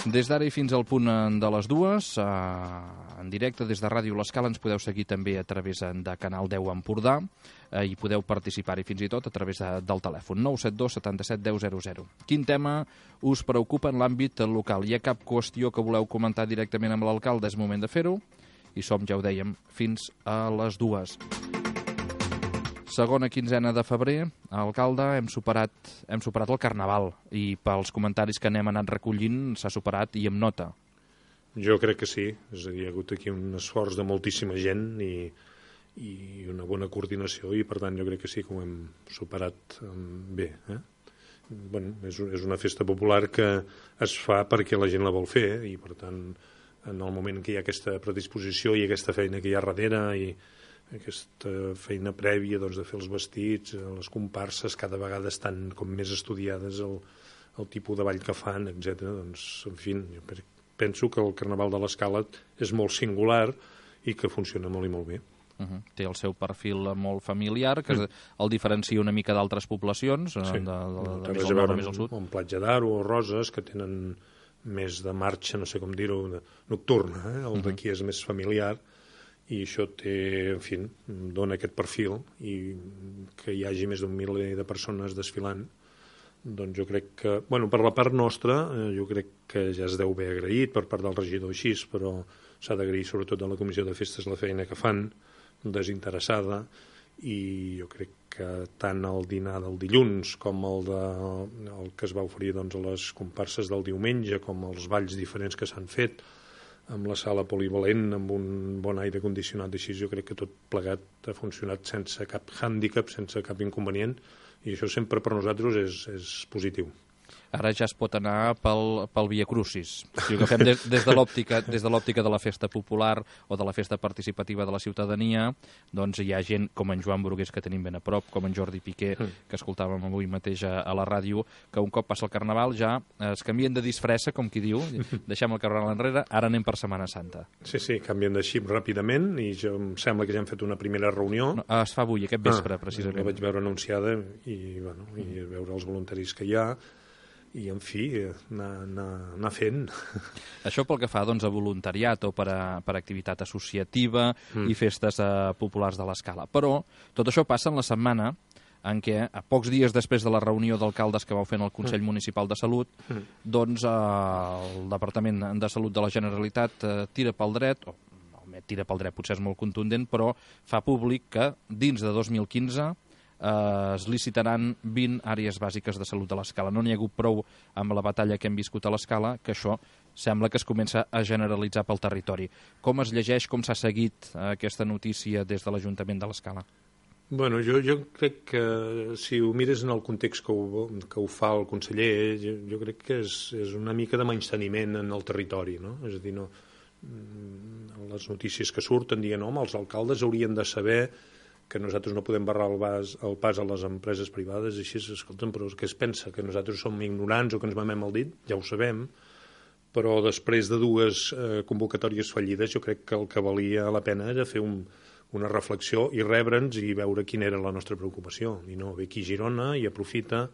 Des d'ara i fins al punt de les 2, en directe des de Ràdio L'Escala, ens podeu seguir també a través de Canal 10 Empordà i podeu participar-hi fins i tot a través del telèfon 972 77 10 00. Quin tema us preocupa en l'àmbit local? Hi ha cap qüestió que voleu comentar directament amb l'alcalde? És moment de fer-ho i som, ja ho dèiem, fins a les 2. Segona quinzena de febrer, alcalde, hem superat el Carnaval i pels comentaris que n'hem anat recollint s'ha superat i amb nota. Jo crec que sí, és a dir, hi ha hagut aquí un esforç de moltíssima gent i una bona coordinació i per tant jo crec que sí que ho hem superat bé. Bueno, és una festa popular que es fa perquè la gent la vol fer i per tant en el moment que hi ha aquesta predisposició i aquesta feina que hi ha darrere i aquesta feina prèvia doncs, de fer els vestits, les comparses cada vegada estan com més estudiades el tipus de ball que fan, etc. Doncs, en fi, jo penso que el Carnaval de l'Escala és molt singular i que funciona molt i molt bé. Té el seu perfil molt familiar, que el diferencia una mica d'altres poblacions, sí. de més al nord o més al sud. Un Platja d'Aro o Roses, que tenen més de marxa, no sé com dir-ho, nocturna, el d'aquí és més familiar, i això té, en fi, dona aquest perfil i que hi hagi més d'un miler de persones desfilant, doncs jo crec que, bueno, per la part nostra, jo crec que ja es deu haver agraït per part del regidor així, però s'ha d'agrair sobretot a la Comissió de Festes la feina que fan, desinteressada, i jo crec que tant el dinar del dilluns com el que es va oferir doncs, a les comparses del diumenge, com els balls diferents que s'han fet, amb la sala polivalent, amb un bon aire condicionat, així jo crec que tot plegat ha funcionat sense cap hàndicap, sense cap inconvenient, i això sempre per nosaltres és positiu. Ara ja es pot anar pel Via Crucis. Si ho agafem des de l'òptica de la festa popular o de la festa participativa de la ciutadania, doncs hi ha gent com en Joan Brugués, que tenim ben a prop, com en Jordi Piqué, que escoltàvem avui mateix a la ràdio, que un cop passa el Carnaval ja es canvien de disfressa, com qui diu, deixem el Carnaval enrere, ara anem per Setmana Santa. Sí, canvien de xip ràpidament i em sembla que ja hem fet una primera reunió. No, es fa avui, aquest vespre, precisament. La vaig veure anunciada i veure els voluntaris que hi ha, i, en fi, anar fent. Això pel que fa doncs, a voluntariat o per activitat associativa i festes populars de l'Escala. Però tot això passa en la setmana en què, a pocs dies després de la reunió d'alcaldes que vau fer en el Consell Municipal de Salut, doncs el Departament de Salut de la Generalitat tira pel dret, tira pel dret potser és molt contundent, però fa públic que dins de 2015 es licitaran 20 àrees bàsiques de salut a l'Escala. No n'hi ha hagut prou amb la batalla que hem viscut a l'Escala, que això sembla que es comença a generalitzar pel territori. Com es llegeix, com s'ha seguit aquesta notícia des de l'Ajuntament de l'Escala? Bueno, jo crec que si ho mires en el context que ho fa el conseller, jo crec que és una mica de menysteniment en el territori, no? És a dir, les notícies que surten dient, home, els alcaldes haurien de saber que nosaltres no podem barrar el pas a les empreses privades, així, escolta'm, però què es pensa? Que nosaltres som ignorants o que ens mamem el dit? Ja ho sabem, però després de dues convocatòries fallides jo crec que el que valia la pena era fer una reflexió i rebre'ns i veure quina era la nostra preocupació. I no, ve aquí a Girona i aprofita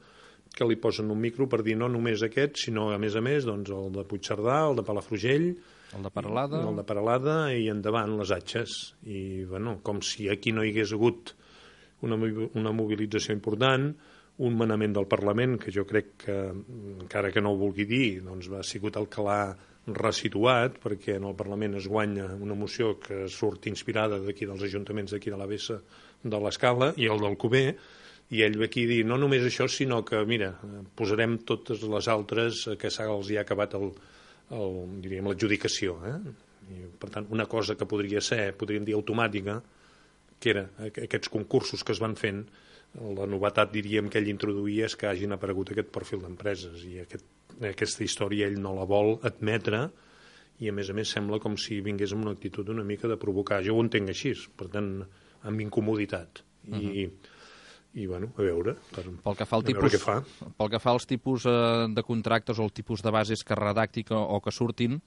que li posen un micro per dir no només aquest, sinó a més, doncs, el de Puigcerdà, el de Palafrugell, el de Peralada i endavant les atxes. I, bueno, com si aquí no hi hagués hagut una mobilització important, un manament del Parlament, que jo crec que, encara que no ho vulgui dir, doncs ha sigut el que l'ha resituat, perquè en el Parlament es guanya una moció que surt inspirada d'aquí dels ajuntaments d'aquí de la Bessa de l'Escala i el del Cuber, i ell ve aquí a dir no només això, sinó que, mira, posarem totes les altres que els hi ha acabat diríem, l'adjudicació. I, per tant, una cosa que podríem dir automàtica, que era aquests concursos que es van fent, la novetat, diríem, que ell introduïa és que hagin aparegut aquest perfil d'empreses i aquesta història ell no la vol admetre i, a més sembla com si vingués amb una actitud una mica de provocar. Jo ho entenc així, per tant, amb incomoditat. i bueno, a veure, pel que fa què fa. Pel que fa als tipus de contractes o el tipus de bases que redacti o que surtin,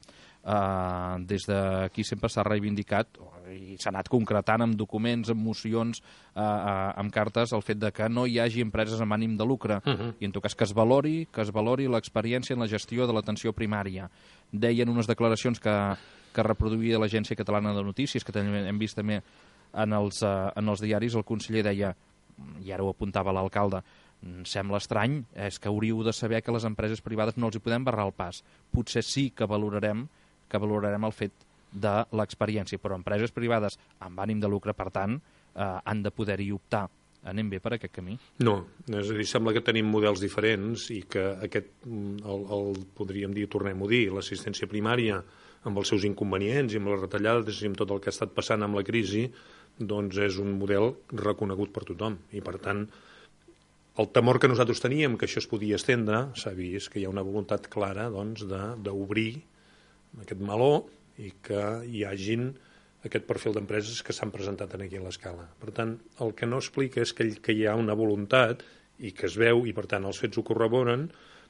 des d'aquí sempre s'ha reivindicat i s'ha anat concretant amb documents, amb mocions, amb cartes, el fet de que no hi hagi empreses amb ànim de lucre i en tot cas que es valori l'experiència en la gestió de l'atenció primària. Deien unes declaracions que reproduïa l'Agència Catalana de Notícies, que també hem vist també en els diaris. El conseller deia, i ara ho apuntava l'alcalde, sembla estrany, és que hauríeu de saber que les empreses privades no els hi podem barrar el pas. Potser sí que valorarem el fet de l'experiència, però empreses privades amb ànim de lucre, per tant, han de poder-hi optar. Anem bé per aquest camí? No, és a dir, sembla que tenim models diferents i que aquest, podríem dir, tornem-ho a dir, l'assistència primària, amb els seus inconvenients i amb les retallades i amb tot el que ha estat passant amb la crisi, doncs és un model reconegut per tothom. I, per tant, el temor que nosaltres teníem, que això es podia estendre, s'ha vist que hi ha una voluntat clara doncs, d'obrir aquest meló i que hi hagin aquest perfil d'empreses que s'han presentat aquí a l'escala. Per tant, el que no explica és que hi ha una voluntat i que es veu, i per tant els fets ho corroboren,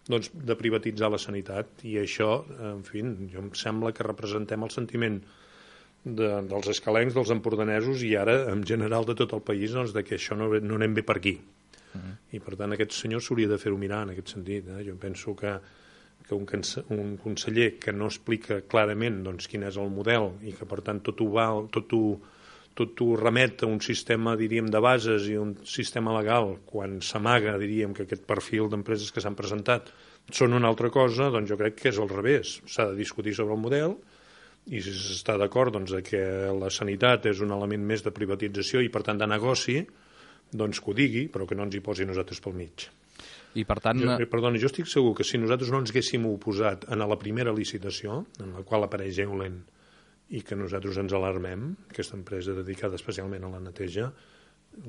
doncs, de privatitzar la sanitat. I això, en fi, jo em sembla que representem el sentiment dels escalencs, dels empordanesos i ara, en general, de tot el país, doncs, de que això no anem bé per aquí. I, per tant, aquest senyor s'hauria de fer-ho mirar en aquest sentit. Jo penso que un conseller que no explica clarament doncs, quin és el model i que, per tant, tot ho remet a un sistema, diríem, de bases i un sistema legal, quan s'amaga, diríem, que aquest perfil d'empreses que s'han presentat són una altra cosa, doncs jo crec que és al revés. S'ha de discutir sobre el model i si s'està d'acord doncs, que la sanitat és un element més de privatització i, per tant, de negoci, doncs que ho digui, però que no ens hi posi nosaltres pel mig. I per tant... Perdona, jo estic segur que si nosaltres no ens haguéssim oposat a la primera licitació, en la qual apareix Eulen, i que nosaltres ens alarmem, aquesta empresa dedicada especialment a la neteja,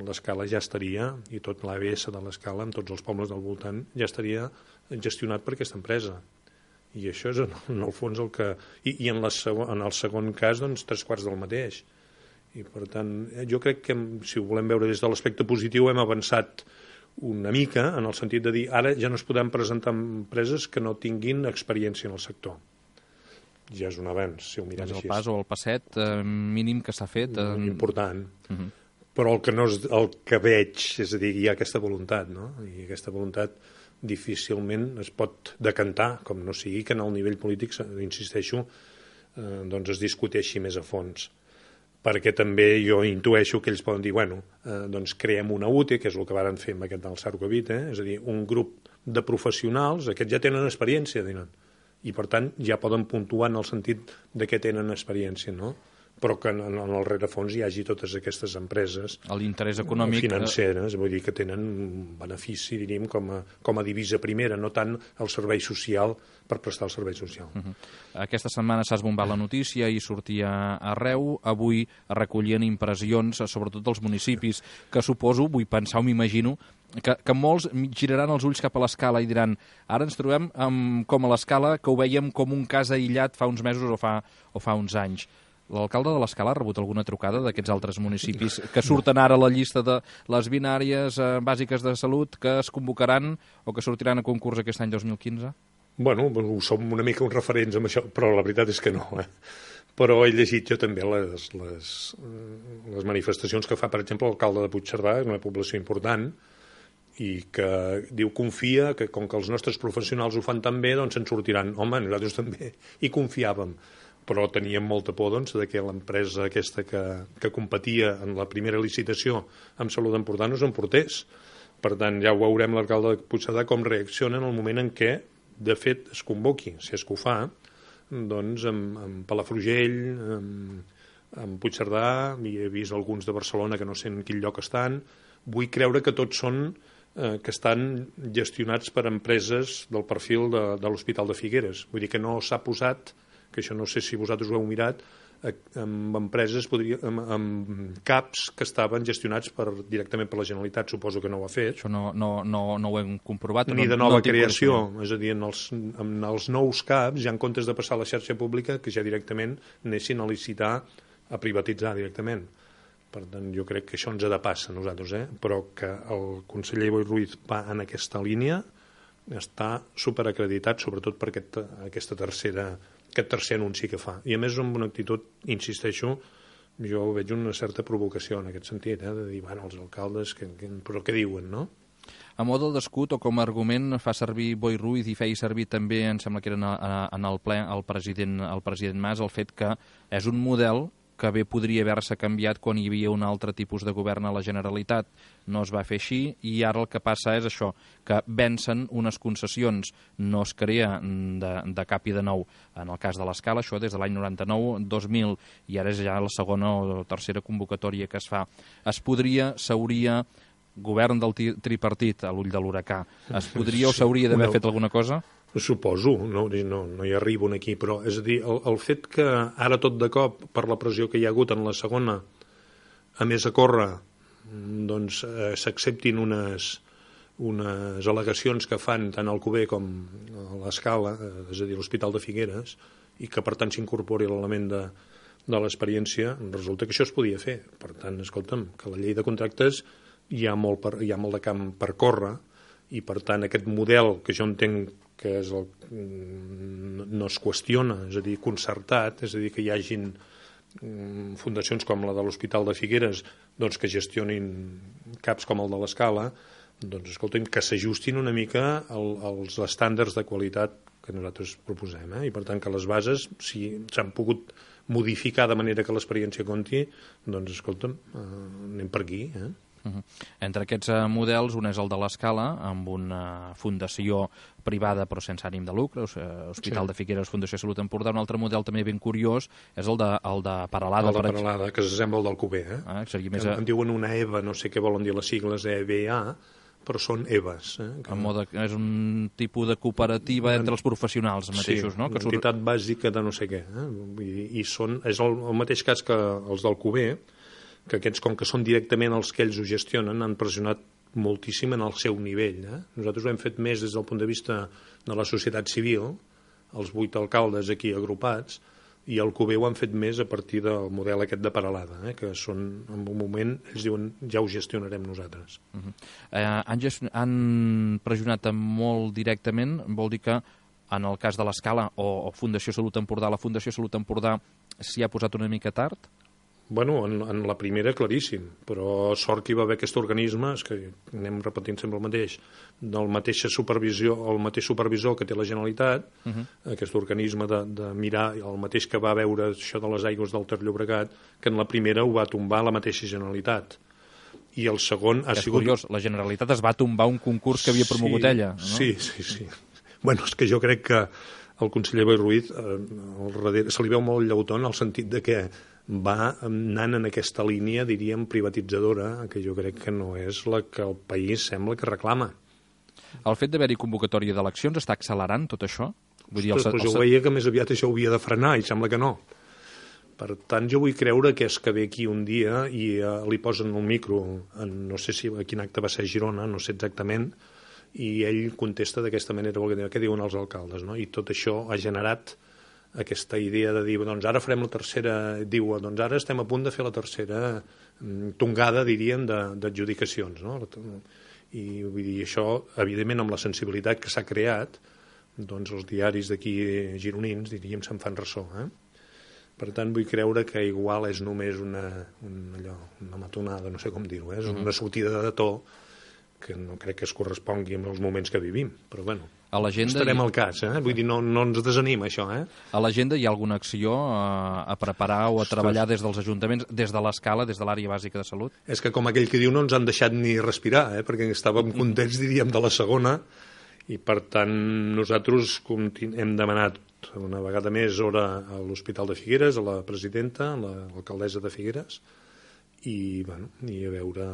l'escala ja estaria, i tot l'ABS de l'escala, amb tots els pobles del voltant, ja estaria gestionat per aquesta empresa. I això és, en el fons, el que... I en el segon cas, doncs, 3/4 del mateix. I, per tant, jo crec que, si ho volem veure des de l'aspecte positiu, hem avançat una mica, en el sentit de dir, ara ja no es podran presentar empreses que no tinguin experiència en el sector. Ja és un avenç, si ho mirem així. És el pas o el passet mínim que s'ha fet. Important. Però el que veig, és a dir, hi ha aquesta voluntat, no? I aquesta voluntat difícilment es pot decantar, com no sigui que en el nivell polític, insisteixo, doncs es discuteixi més a fons. Perquè també jo intueixo que ells poden dir, bueno, doncs creem una UTE, que és el que varen fer amb aquest del Sarcovit, és a dir, un grup de professionals, aquests ja tenen experiència, diuen, i per tant ja poden puntuar en el sentit de que tenen experiència, no? Però que en el rerefons hi hagi totes aquestes empreses l'interès econòmic financeres, vull dir que tenen un benefici, diríem, com a divisa primera, no tant el servei social per prestar el servei social. Aquesta setmana s'ha esbombat la notícia i sortia arreu. Avui recollien impressions, sobretot dels municipis, que suposo, vull pensar o m'imagino, que molts giraran els ulls cap a l'escala i diran, ara ens trobem com a l'escala que ho vèiem com un cas aïllat fa uns mesos o fa uns anys. L'alcalde de l'Escala ha rebut alguna trucada d'aquests altres municipis que surten ara a la llista de les 20 àrees bàsiques de salut que es convocaran o que sortiran a concurs aquest any 2015? Bueno, som una mica uns referents amb això, però la veritat és que no. Però he llegit jo també les manifestacions que fa, per exemple, l'alcalde de Puigcerdà, és una població important, i que diu, confia que com que els nostres professionals ho fan tan bé, doncs se'n sortiran. Home, nosaltres també hi confiàvem, però teníem molta por doncs, de que l'empresa aquesta que competia en la primera licitació amb Salut Empordà no s'emportés. Per tant, ja ho veurem l'alcalde de Puigcerdà com reacciona en el moment en què, de fet, es convoqui, si és que ho fa, doncs amb Palafrugell, amb Puigcerdà, he vist alguns de Barcelona que no sé en quin lloc estan. Vull creure que tots són que estan gestionats per empreses del perfil de l'Hospital de Figueres. Vull dir que no s'ha posat, que això no sé si vosaltres ho heu mirat, amb empreses, amb CAPs que estaven gestionats directament per la Generalitat. Suposo que no ho ha fet. Això no ho hem comprovat. Ni de nova creació. És a dir, en els nous CAPs, ja en comptes de passar a la xarxa pública, que ja directament anessin a licitar, a privatitzar directament. Per tant, jo crec que això ens ha de passar a nosaltres, però que el conseller Boi Ruiz va en aquesta línia, està superacreditat, sobretot per aquest tercer anunci que fa. I a més amb una actitud, insisteixo, jo veig una certa provocació en aquest sentit, de dir, bueno, els alcaldes, però què diuen, no? A mode d'escut o com a argument fa servir Boi Ruiz i feia servir també, em sembla que era en el ple, el president Mas, el fet que és un model que bé podria haver-se canviat quan hi havia un altre tipus de govern a la Generalitat. No es va fer així i ara el que passa és això, que vencen unes concessions, no es crea de cap i de nou. En el cas de l'Escala, això des de l'any 99, 2000, i ara és ja la segona o tercera convocatòria que es fa. S'hauria, govern del tripartit a l'ull de l'huracà, es podria o s'hauria d'haver fet alguna cosa? Suposo, no hi arribo aquí, però és a dir, el fet que ara tot de cop, per la pressió que hi ha hagut en la segona, a més a córrer, doncs s'acceptin unes al·legacions que fan tant al Cuber com a l'Escala, és a dir, l'Hospital de Figueres, i que per tant s'incorpori l'element de l'experiència, resulta que això es podia fer. Per tant, escolta'm, que la llei de contractes hi ha molt de camp per córrer, i per tant aquest model que jo entenc que és no es qüestiona, és a dir, concertat, és a dir, que hi hagin fundacions com la de l'Hospital de Figueres doncs que gestionin CAPs com el de l'Escala, doncs escolta'm, que s'ajustin una mica als estàndards de qualitat que nosaltres proposem, i per tant que les bases, si s'han pogut modificar de manera que l'experiència compti, doncs escolta'm, anem per aquí, Entre aquests models, un és el de l'Escala, amb una fundació privada però sense ànim de lucre, Hospital de Figueres, Fundació Salut Empordà. Un altre model també ben curiós és el de Peralada. El de Peralada, que s'assembla al del Cuber. En diuen una EVA, no sé què volen dir les sigles, EVA, però són EVAs. És un tipus de cooperativa entre els professionals mateixos, no? Sí, una entitat bàsica de no sé què. I és el mateix cas que els del Cuber, que aquests, com que són directament els que ells ho gestionen, han pressionat moltíssim en el seu nivell. Nosaltres ho hem fet més des del punt de vista de la societat civil, els 8 alcaldes aquí agrupats, i el Cuber ho han fet més a partir del model aquest de Peralada, que són, en un moment, ells diuen, ja ho gestionarem nosaltres. Han pressionat molt directament, vol dir que en el cas de l'Escala o Fundació Salut Empordà, la Fundació Salut Empordà s'hi ha posat una mica tard? Bueno, en la primera claríssim, però sort que hi va haver aquest organisme, és que anem repetint sempre el mateix, del mateix supervisor que té la Generalitat, aquest organisme de mirar, el mateix que va veure això de les aigües del Ter Llobregat, que en la primera ho va tombar la mateixa Generalitat. I el segon ha sigut... És curiós, la Generalitat es va tombar un concurs que havia promogut ella, no? Sí. Bueno, és que jo crec que el conseller Boi Ruiz se li veu molt llautó en el sentit de que va anant en aquesta línia, diríem, privatitzadora, que jo crec que no és la que el país sembla que reclama. El fet d'haver-hi convocatòria d'eleccions està accelerant tot això? Vull dir, jo veia que més aviat això ho havia de frenar i sembla que no. Per tant, jo vull creure que és que ve aquí un dia i li posen el micro, no sé si a quin acte va ser a Girona, no sé exactament, i ell contesta d'aquesta manera, què diuen els alcaldes, no? I tot això ha generat aquesta idea de dir, doncs ara farem la tercera, diu, doncs ara estem a punt de fer la tercera tongada, diríem, d'adjudicacions, no? I vull dir, això, evidentment, amb la sensibilitat que s'ha creat, doncs els diaris d'aquí gironins, diríem, se'n fan ressò, Per tant, vull creure que igual és només una matonada, no sé com dir-ho, és una sortida de to que no crec que es correspongui amb els moments que vivim, però bueno, estarem al cas, vull dir, no ens desanima això, A l'agenda hi ha alguna acció a preparar o a treballar des dels ajuntaments, des de l'Escala, des de l'àrea bàsica de salut? És que com aquell que diu no ens han deixat ni respirar, perquè estàvem contents, diríem, de la segona, i per tant nosaltres hem demanat una vegada més hora a l'Hospital de Figueres, a la presidenta, a l'alcaldessa de Figueres, i a veure,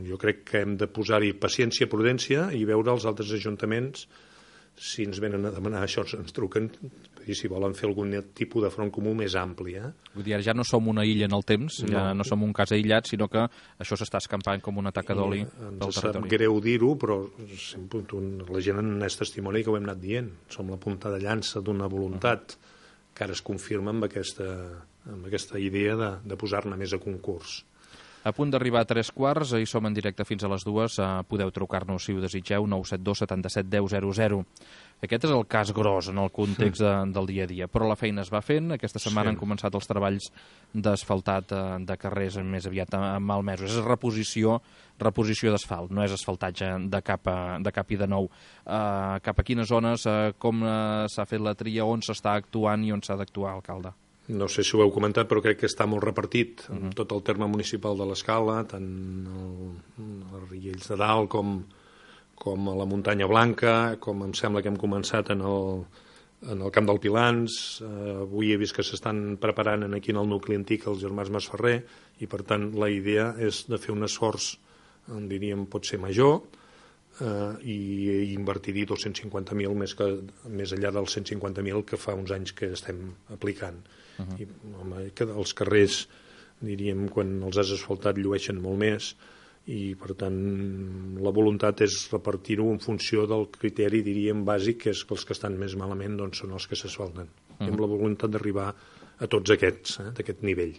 jo crec que hem de posar-hi paciència, prudència i veure els altres ajuntaments si ens venen a demanar això, ens truquen i si volen fer algun tipus de front comú més ampli. Vull dir, ja no som una illa en el temps, ja no som un cas aïllat, sinó que això s'està escampant com una taca d'oli pel territori. Ens sap greu dir-ho, però la gent n'és testimoni que ho hem anat dient. Som la punta de llança d'una voluntat que ara es confirma amb aquesta idea de posar-ne més a concurs. A punt d'arribar a 3:15, i som en directe fins a les 2. Podeu trucar-nos si ho desitgeu, 972 77 10 00. Aquest és el cas gros en el context del dia a dia, però la feina es va fent. Aquesta setmana han començat els treballs d'asfaltat de carrers més aviat malmesos. És reposició d'asfalt, no és asfaltatge de cap i de nou. Cap a quines zones, com s'ha fet la tria, on s'està actuant i on s'ha d'actuar, alcalde? No sé si ho heu comentat, però crec que està molt repartit en tot el terme municipal de l'Escala, tant a Riells de Dalt com a la Muntanya Blanca, com em sembla que hem començat en el Camp del Pilans. Avui he vist que s'estan preparant aquí en el nucli antic els germans Masferrer, i per tant la idea és de fer un esforç, diríem, pot ser major, i invertir-hi 250.000 més enllà dels 150.000 que fa uns anys que estem aplicant. I, home, que els carrers, diríem, quan els has asfaltat llueixen molt més, i per tant la voluntat és repartir-ho en funció del criteri, diríem, bàsic, que és que els que estan més malament doncs, són els que s'asfalten. I amb la voluntat d'arribar a tots aquests, d'aquest nivell.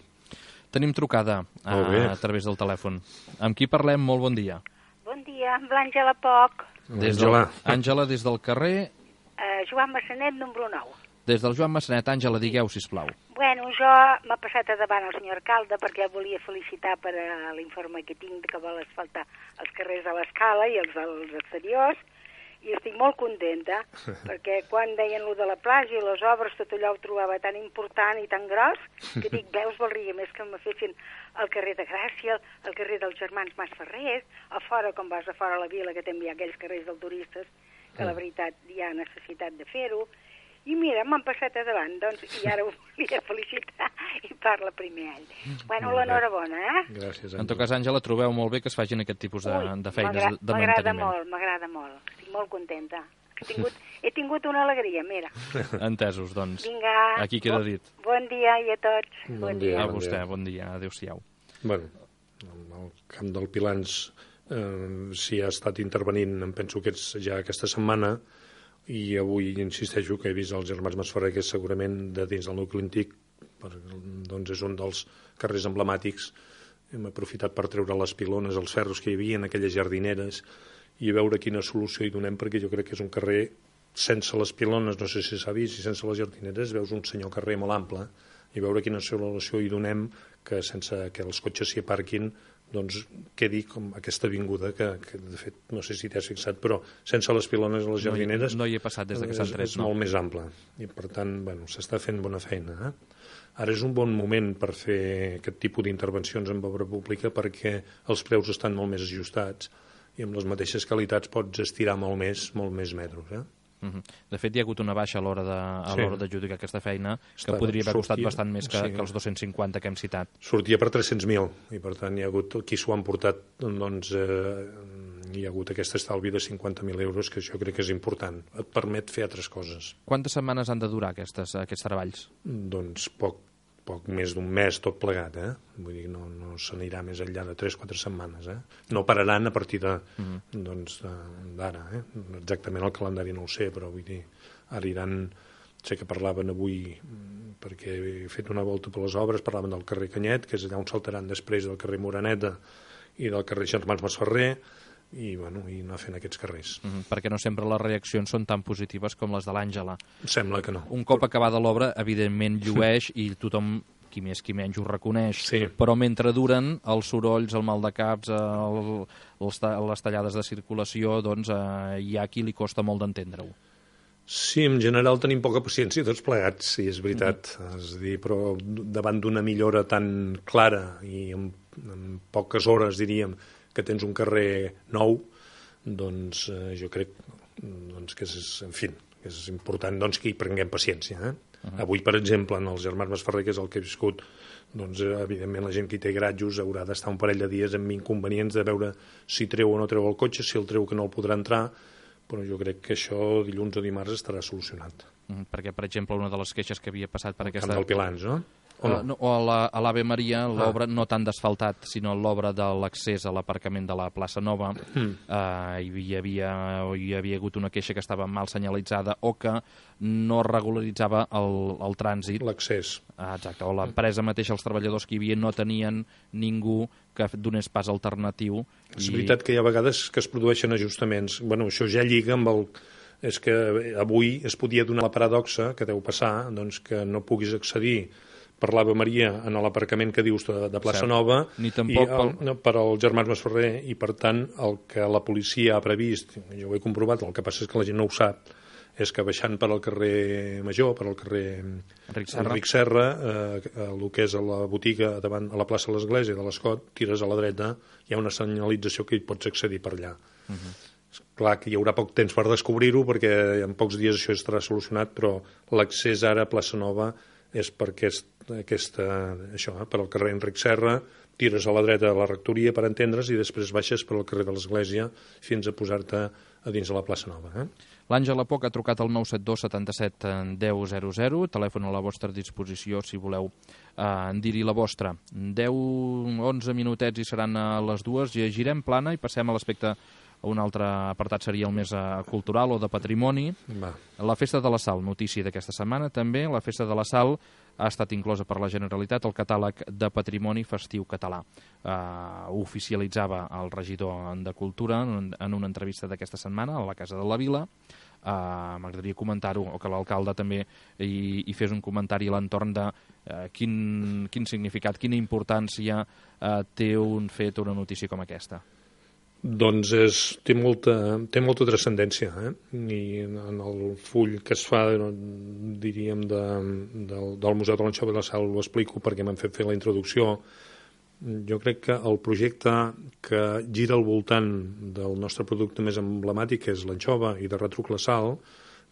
Tenim trucada a través del telèfon. Amb qui parlem? Molt bon dia. Bon dia, amb l'Àngela Poc. Àngela, des del carrer... Joan Massanet, número 9. Des del Joan Massanet. Àngela, digueu, sisplau. Bueno, jo m'ha passat a davant el senyor alcalde perquè el volia felicitar per l'informe que tinc que vol asfaltar els carrers de l'Escala i els dels exteriors, i estic molt contenta perquè quan deien lo de la platja i les obres, tot allò ho trobava tan important i tan gros que dic, veus, valdria més que me fessin el carrer de Gràcia, el carrer dels germans Masferrer, a fora, com vas a fora a la vila, que també hi ha aquells carrers dels turistes, que la veritat hi ha necessitat de fer-ho. I mira, m'han passat a davant, doncs, i ara ho volia felicitar i parla primer ell. Bueno, l'enhorabona, Gràcies, En tot cas, Àngela, trobeu molt bé que es facin aquest tipus de feines de manteniment. M'agrada molt, estic molt contenta. He tingut una alegria, mira. Entesos, doncs. Vinga. Aquí queda dit. Bon dia i a tots. Bon dia. A vostè, bon dia. Adéu-siau. Bueno, el Camp del Pilans s'hi ha estat intervenint, em penso que és ja aquesta setmana, i avui insisteixo que he vist els germans Masferrer, que és segurament de dins del nucli antic, doncs és un dels carrers emblemàtics. Hem aprofitat per treure les pilones, els ferros que hi havia en aquelles jardineres, i veure quina solució hi donem, perquè jo crec que és un carrer sense les pilones, no sé si s'ha vist, i sense les jardineres veus un senyor carrer molt ample, i veure quina solució hi donem que sense que els cotxes s'hi aparquin doncs quedi com aquesta avinguda que de fet, no sé si t'has fixat, però sense les pilones a les jardineres no hi he passat des que s'han tret, és molt més ample, i per tant, bueno, s'està fent bona feina. Ara és un bon moment per fer aquest tipus d'intervencions en obra pública perquè els preus estan molt més ajustats i amb les mateixes qualitats pots estirar molt més metros, De fet, hi ha hagut una baixa a l'hora d'adjudicar aquesta feina que podria haver costat bastant més que els 250 que hem citat. Sortia per 300.000 i per tant hi ha hagut qui s'ho han portat, doncs hi ha hagut aquest estalvi de 50.000 euros, que jo crec que és important, et permet fer altres coses. Quantes setmanes han de durar aquests treballs? Doncs poc més d'un mes tot plegat, vull dir, no s'anirà més enllà de 3-4 setmanes, No pararan a partir d'ara, Exactament el calendari no ho sé, però vull dir, ara iran, sé que parlaven avui, perquè he fet una volta per les obres, parlaven del carrer Canyet, que és allà on saltaran després del carrer Moraneta i del carrer Germans Masferrer, i anar fent aquests carrers. Perquè no sempre les reaccions són tan positives com les de l'Àngela. Sembla que no. Un cop acabada l'obra, evidentment llueix i tothom, qui més qui menys, ho reconeix. Sí. Però mentre duren els sorolls, el mal de caps, les tallades de circulació, doncs hi ha qui li costa molt d'entendre-ho. Sí, en general tenim poca paciència tots plegats, sí, és veritat. És a dir, però davant d'una millora tan clara i en poques hores, diríem, que tens un carrer nou, doncs jo crec que és important que hi prenguem paciència. Avui, per exemple, en els germans Masferrer, que és el que he viscut, doncs evidentment la gent que hi té gratjos haurà d'estar un parell de dies amb inconvenients de veure si treu o no treu el cotxe, si el treu que no el podrà entrar, però jo crec que això dilluns o dimarts estarà solucionat. Perquè, per exemple, una de les queixes que havia passat per aquesta... Camp del Pilans, no? O a l'Ave Maria, l'obra no tant d'asfaltat, sinó l'obra de l'accés a l'aparcament de la plaça Nova. Hi havia hagut una queixa que estava mal senyalitzada o que no regularitzava el trànsit. L'accés. Exacte, o l'empresa mateixa, els treballadors que hi havia no tenien ningú que donés pas alternatiu. És veritat que hi ha vegades que es produeixen ajustaments. Bueno, això ja lliga amb el... És que avui es podia donar la paradoxa que deu passar, doncs, que no puguis accedir per l'Ave Maria en l'aparcament que dius de Plaça Nova, ni tampoc per al Germans Masferrer, i per tant el que la policia ha previst, jo ho he comprovat, el que passa és que la gent no ho sap, és que baixant per al carrer Major, per al carrer Enric Serra, el que és a la botiga davant a la plaça de l'Església de l'Escot, tires a la dreta, hi ha una senyalització que hi pots accedir per allà. Clar que hi haurà poc temps per descobrir-ho, perquè en pocs dies això estarà solucionat, però l'accés ara a Plaça Nova és per per al carrer Enric Serra, tires a la dreta de la rectoria, per entendre's, i després baixes per al carrer de l'Església fins a posar-te a dins de la plaça Nova. L'Àngela Poc ha trucat al 972 77 1000, telèfon a la vostra disposició si voleu dir-hi la vostra. 10-11 minutets i seran a les 2, girem plana i passem a l'aspecte. Un altre apartat seria el més cultural o de patrimoni. La Festa de la Sal, notícia d'aquesta setmana també. La Festa de la Sal ha estat inclosa per la Generalitat al catàleg de patrimoni festiu català. Ho oficialitzava el regidor de Cultura en una entrevista d'aquesta setmana a la Casa de la Vila. M'agradaria comentar-ho, o que l'alcalde també hi fes un comentari a l'entorn de quin significat, quina importància té un fet o una notícia com aquesta. Doncs té molta transcendència, i en el full que es fa, diríem, del Museu de l'Anxova de la Sal ho explico perquè m'han fet fer la introducció. Jo crec que el projecte que gira al voltant del nostre producte més emblemàtic, que és l'anxova i de retruc la sal,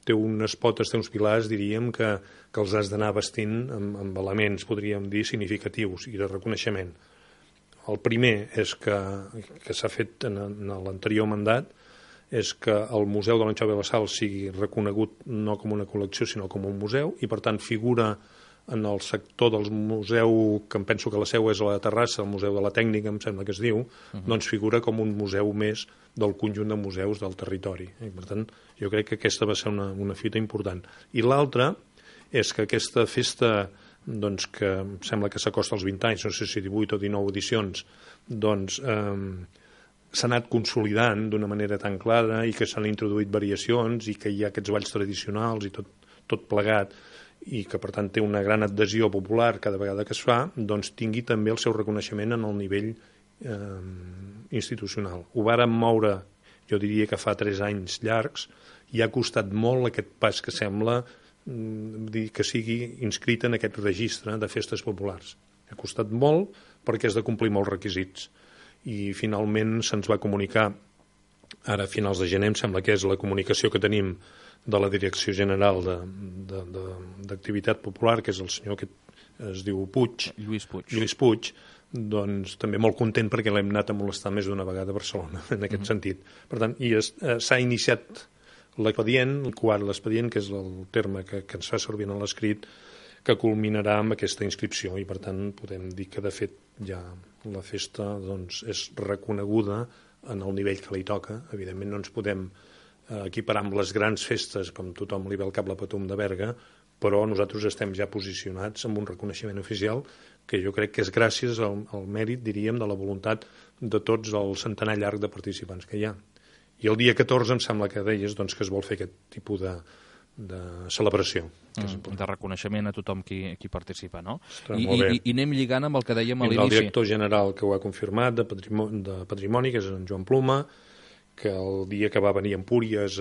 té unes potes, té uns pilars, diríem, que els has d'anar vestint amb elements, podríem dir, significatius i de reconeixement. El primer és que s'ha fet en l'anterior mandat, és que el Museu de l'Anxova de la Sal sigui reconegut no com una col·lecció, sinó com un museu, i per tant figura en el sector del museu, que em penso que la seu és a la Terrassa, el Museu de la Tècnica, em sembla que es diu, doncs figura com un museu més del conjunt de museus del territori. I per tant, jo crec que aquesta va ser una fita important. I l'altra és que aquesta festa, doncs, que em sembla que s'acosta als 20 anys, no sé si 18 o 19 edicions, doncs s'ha anat consolidant d'una manera tan clara i que s'han introduït variacions i que hi ha aquests balls tradicionals i tot plegat, i que per tant té una gran adhesió popular cada vegada que es fa, doncs tingui també el seu reconeixement en el nivell institucional. Ho vàrem moure, jo diria que fa 3 anys llargs, i ha costat molt aquest pas que sembla que sigui inscrit en aquest registre de festes populars. Ha costat molt perquè has de complir molts requisits, i finalment se'ns va comunicar, ara a finals de gener, em sembla que és la comunicació que tenim de la Direcció General d'Activitat Popular, que és el senyor que es diu Lluís Puig, doncs també molt content perquè l'hem anat a molestar més d'una vegada a Barcelona, en aquest sentit. Per tant, s'ha iniciat l'expedient, l'expedient, que és el terme que ens fa servir en l'escrit, que culminarà amb aquesta inscripció, i per tant podem dir que de fet ja la festa doncs, és reconeguda en el nivell que li toca. Evidentment no ens podem equiparar amb les grans festes, com tothom li ve al cap la Patum de Berga, però nosaltres estem ja posicionats amb un reconeixement oficial que jo crec que és gràcies al mèrit, diríem, de la voluntat de tots el centenar llarg de participants que hi ha. I el dia 14 em sembla que deies doncs, que es vol fer aquest tipus de celebració. De reconeixement a tothom qui participa, no? I anem lligant amb el que dèiem a l'inici. El director general que ho ha confirmat de Patrimoni, que és en Joan Pluma, que el dia que va venir a Empúries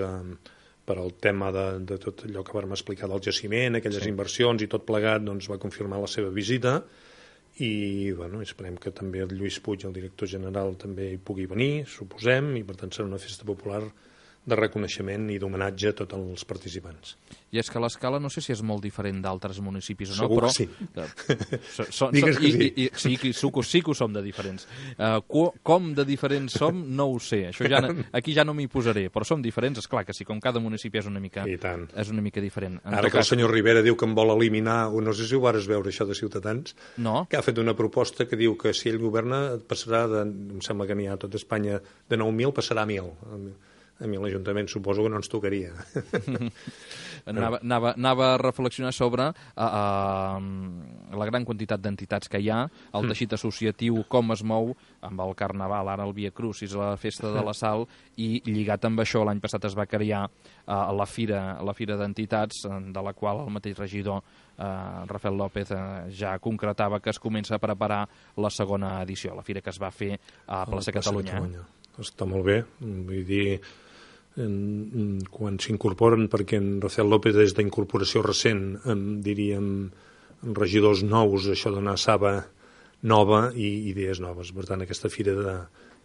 per al tema de tot allò que vam explicar del jaciment, aquelles inversions i tot plegat, doncs va confirmar la seva visita, i bueno, esperem que també el Lluís Puig, el director general, també hi pugui venir, suposem, i per tant serà una festa popular de reconeixement i d'homenatge a tots els participants. I és que l'Escala no sé si és molt diferent d'altres municipis o no, Segur però... que sí. Digues que sí. Sí que ho som de diferents. Com de diferents som, no ho sé. Aquí ja no m'hi posaré, però som diferents, és clar que sí, com cada municipi és una mica diferent. Ara que el senyor Rivera diu que em vol eliminar, o no sé si ho vas veure això de Ciutadans, que ha fet una proposta que diu que si ell governa passarà, em sembla que n'hi ha a tot Espanya, de 9.000 passarà a 1.000. A mi l'Ajuntament suposo que no ens tocaria. Anava a reflexionar sobre la gran quantitat d'entitats que hi ha, el teixit associatiu, com es mou amb el Carnaval, ara el Via Crucis, la Festa de la Sal, i lligat amb això l'any passat es va crear la Fira d'Entitats, de la qual el mateix regidor Rafael López ja concretava que es comença a preparar la segona edició, la fira que es va fer a Plaça Catalunya. Està molt bé, vull dir, quan s'incorporen, perquè en Rafael López és d'incorporació recent, diríem, regidors nous, això dona saba nova i idees noves. Per tant, aquesta fira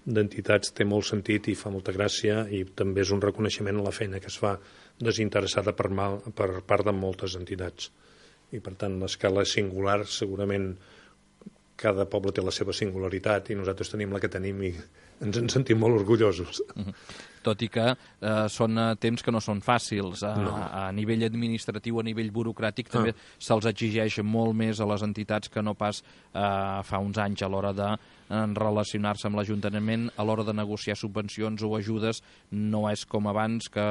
d'entitats té molt sentit i fa molta gràcia, i també és un reconeixement a la feina que es fa desinteressada per part de moltes entitats. I per tant, l'Escala és singular, segurament cada poble té la seva singularitat i nosaltres tenim la que tenim i ens en sentim molt orgullosos. Tot i que són temps que no són fàcils. A nivell administratiu, a nivell burocràtic, també se'ls exigeix molt més a les entitats que no pas fa uns anys a l'hora de relacionar-se amb l'Ajuntament, a l'hora de negociar subvencions o ajudes. No és com abans que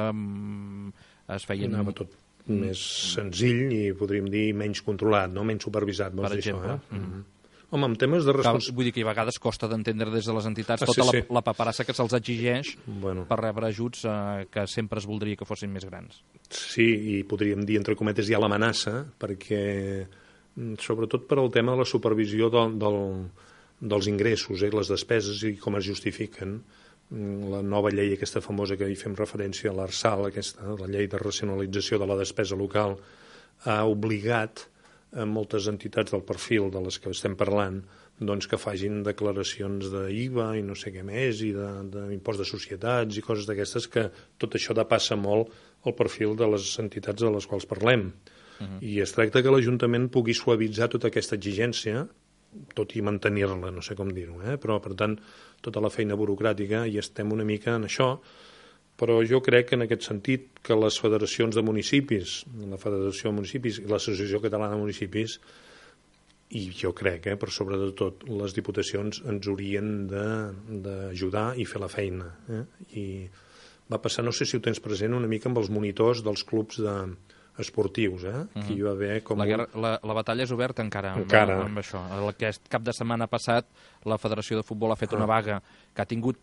es feien... Anava tot més senzill i podríem dir menys controlat, no? Menys supervisat, vols dir això, Home, en temes de responsabilitat... Vull dir que a vegades costa d'entendre des de les entitats tota la paperassa que se'ls exigeix per rebre ajuts que sempre es voldria que fossin més grans. Sí, i podríem dir, entre cometes, hi ha l'amenaça, perquè sobretot per al tema de la supervisió dels ingressos, les despeses i com es justifiquen. La nova llei aquesta famosa que hi fem referència, l'ARSAL, la llei de racionalització de la despesa local, ha obligat a moltes entitats del perfil de les que estem parlant doncs que facin declaracions d'IVA i no sé què més, i d'impost de societats i coses d'aquestes, que tot això depassa molt el perfil de les entitats de les quals parlem. I es tracta que l'Ajuntament pugui suavitzar tota aquesta exigència, tot i mantenir-la, no sé com dir-ho, però per tant tota la feina burocràtica, i estem una mica en això. Però jo crec que en aquest sentit que les federacions de municipis, la Federació de Municipis i l'Associació Catalana de Municipis, i jo crec, per sobre de tot, les diputacions ens haurien d'ajudar i fer la feina. I va passar, no sé si ho tens present, una mica amb els monitors dels clubs esportius, que hi va haver com... La batalla és oberta encara amb això. Aquest cap de setmana passat la Federació de Futbol ha fet una vaga que ha tingut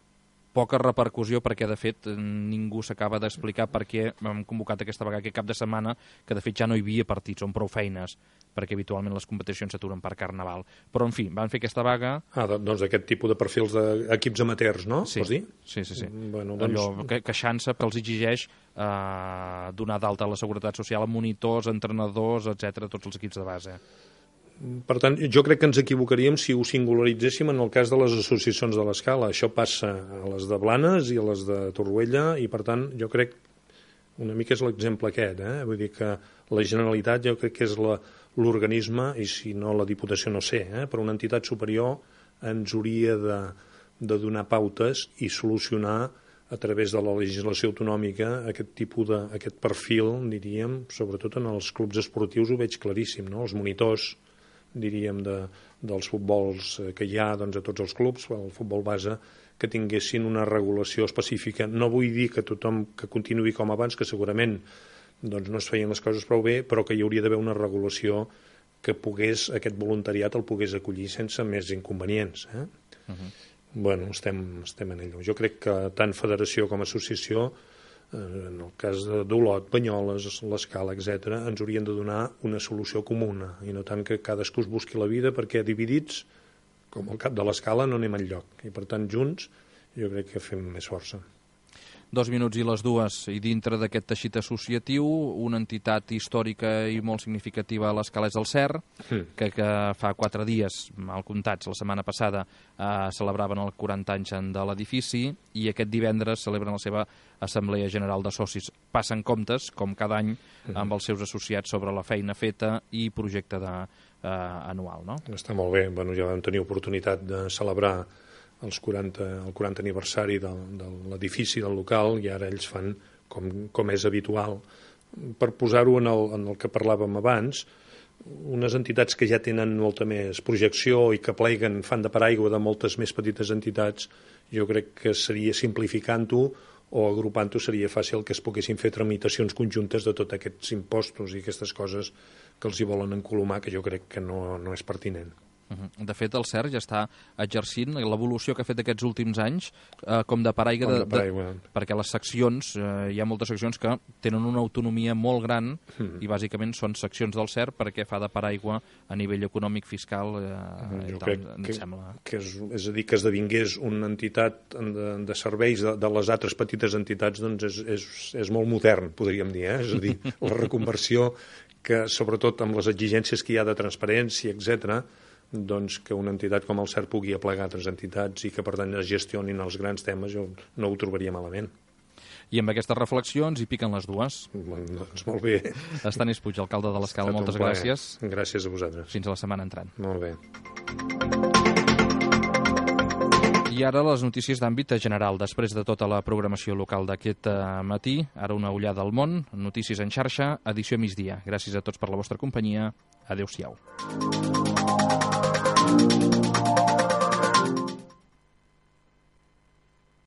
poca repercussió, perquè de fet ningú s'acaba d'explicar per què hem convocat aquesta vaga aquest cap de setmana, que de fet ja no hi havia partits, són prou feines, perquè habitualment les competicions s'aturen per Carnaval. Però, en fi, van fer aquesta vaga... Doncs aquest tipus de perfils d'equips amateurs, no? Sí, vols dir? Sí. Bueno, allò queixant-se que els exigeix donar d'alta a la Seguretat Social a monitors, entrenadors, etc., tots els equips de base. Per tant, jo crec que ens equivocaríem si ho singularitzéssim en el cas de les associacions de l'Escala. Això passa a les de Blanes i a les de Torroella, i per tant jo crec una mica és l'exemple aquest, vull dir que la Generalitat jo crec que és l'organisme, i si no la Diputació no sé, però una entitat superior ens hauria de donar pautes i solucionar a través de la legislació autonòmica aquest tipus aquest perfil, diríem, sobretot en els clubs esportius ho veig claríssim, no? Els monitors, diríem, dels futbols que hi ha a tots els clubs, el futbol base, que tinguessin una regulació específica. No vull dir que tothom que continuï com abans, que segurament no es feien les coses prou bé, però que hi hauria d'haver una regulació que aquest voluntariat el pogués acollir sense més inconvenients. Bueno, estem en allò. Jo crec que tant federació com associació, en el cas d'Olot, Banyoles, l'Escala, etc., ens haurien de donar una solució comuna, i no tant que cadascú es busqui la vida, perquè dividits, com el cap de l'Escala, no anem enlloc. I per tant, junts, jo crec que fem més força. 2 minuts i les 2, i dintre d'aquest teixit associatiu, una entitat històrica i molt significativa a l'Escala és el CER, que fa 4 dies, mal comptats, la setmana passada, celebraven els 40 anys de l'edifici, i aquest divendres celebren la seva Assemblea General de Socis. Passen comptes, com cada any, amb els seus associats sobre la feina feta i projecte anual, no? Està molt bé. Bueno, ja vam tenir oportunitat de celebrar el 40 aniversari de l'edifici, del local, i ara ells fan, com és habitual, per posar-ho en el que parlàvem abans, unes entitats que ja tenen molta més projecció i que pleguen, fan de paraigua de moltes més petites entitats. Jo crec que seria simplificant-ho o agrupant-ho seria fàcil que es poguessin fer tramitacions conjuntes de tots aquests impostos i aquestes coses que els hi volen encolomar, que jo crec que no és pertinent. De fet, el CER ja està exercint l'evolució que ha fet aquests últims anys com de paraigua, perquè les seccions, hi ha moltes seccions que tenen una autonomia molt gran i bàsicament són seccions del CER perquè fa de paraigua a nivell econòmic, fiscal, jo crec que és a dir, que esdevingués una entitat de serveis de les altres petites entitats, doncs és molt modern, podríem dir, és a dir, la reconversió que, sobretot amb les exigències que hi ha de transparència, etc., doncs que una entitat com el CER pugui aplegar altres entitats i que per tant es gestionin els grans temes, jo no ho trobaria malament. I amb aquestes reflexions hi piquen les 2. Doncs molt bé. Estanis Puig, alcalde de l'Escala, moltes gràcies. Gràcies a vosaltres. Fins a la setmana entrant. Molt bé. I ara les notícies d'àmbit general. Després de tota la programació local d'aquest matí, ara una ullada al món, notícies en xarxa, edició migdia. Gràcies a tots per la vostra companyia. Adéu-siau.